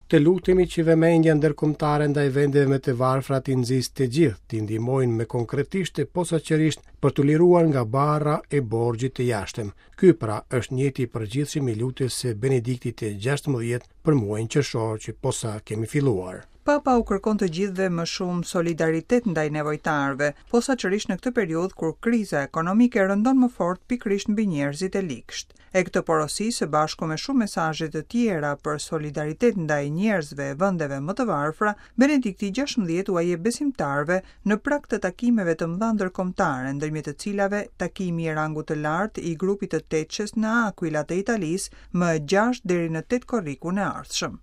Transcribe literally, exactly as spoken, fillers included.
Të lutemi që vëmendja ndërkombëtare ndaj vendeve më të varfra t'i nxisë të gjithë, t'i ndihmojnë më konkretisht e posaçërisht për t'u liruar nga barra e borxhit të jashtëm. Ky pra është nijeti i përgjithshëm i lutjes së Benediktit të gjashtëmbëdhjetë për muajin qershor që posa kemi filluar. Papa u kërkon të gjithëve më shumë solidaritet ndaj nevojtarëve, posaçërisht në këtë periudhë kur kriza ekonomike rëndon më fort pikërisht mbi njerëzit e ligsht. E këtë porosi së bashku me shumë mesazhe të tjera për solidaritet ndaj njerëzve e vendeve më të varfra, Benedikti gjashtëmbëdhjetë ua jep besimtarëve në prag të takimeve të mëdha ndërkombëtare, ndërmjet të cilave takimi i rangut të lartë i grupit të Teçes në Aquila të Italisë më gjashtë deri në tetë korrikun e ardhshëm.